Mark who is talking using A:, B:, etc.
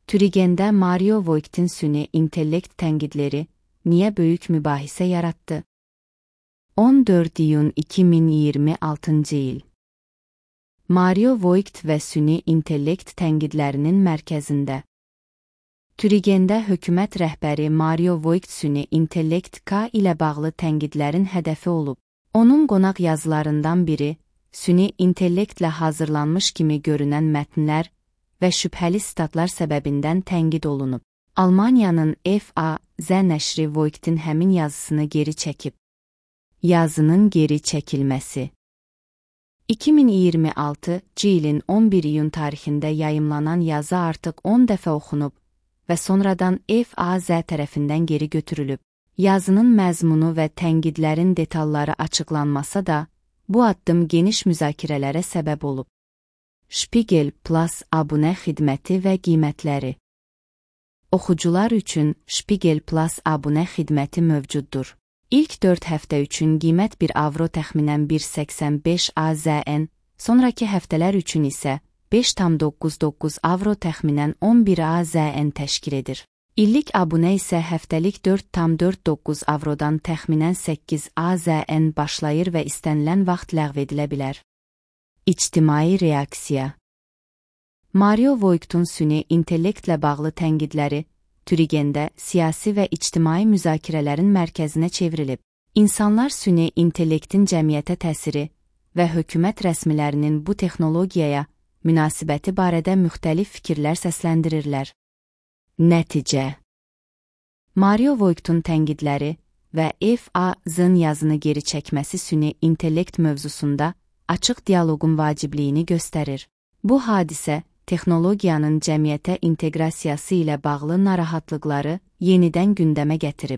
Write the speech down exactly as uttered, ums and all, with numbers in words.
A: Türigendə Mario Voigt'in süni intellekt tənqidləri niyə böyük mübahisə yarattı? on dörd iyun iki min iyirmi altıncı il. Mario Voigt və süni intellekt tənqidlərinin mərkəzində. Türigendə hökumət rəhbəri Mario Voigt süni intellekt K ilə bağlı tənqidlərin hədəfi olub. Onun qonaq yazılarından biri, süni intellektlə hazırlanmış kimi görünən mətnlər və şübhəli statlar səbəbindən tənqid olunub. Almaniyanın F A Z nəşri Voigt'in həmin yazısını geri çəkib. Yazının geri çəkilməsi. iki min iyirmi altıncı ilin on bir iyun tarixində yayımlanan yazı artıq on dəfə oxunub və sonradan F A Z tərəfindən geri götürülüb. Yazının məzmunu və tənqidlərin detalları açıqlanmasa da, bu addım geniş müzakirələrə səbəb olub. Spiegel Plus abunə xidməti və qiymətləri. Oxucular üçün Spiegel Plus abunə xidməti mövcuddur. İlk dörd həftə üçün qiymət bir avro təxminən bir səksən beş A Z N, sonraki həftələr üçün isə beş tam doqquz doqquz avro təxminən on bir A Z N təşkil edir. İllik abunə isə həftəlik dörd tam dörd doqquz avrodan təxminən səkkiz A Z N başlayır və istənilən vaxt ləğv edilə bilər. İctimai reaksiya. Mario Voigt'un süni intellektlə bağlı tənqidləri Türigendə siyasi və ictimai müzakirələrin mərkəzinə çevrilib. İnsanlar süni intellektin cəmiyyətə təsiri və hökumət rəsmilərinin bu texnologiyaya münasibəti barədə müxtəlif fikirlər səsləndirirlər. Nəticə. Mario Voigt'un tənqidləri və F A Z-ın yazını geri çəkməsi süni intellekt mövzusunda açıq dialoqun vacibliyini göstərir. Bu hadisə, texnologiyanın cəmiyyətə inteqrasiyası ilə bağlı narahatlıqları yenidən gündəmə gətirib.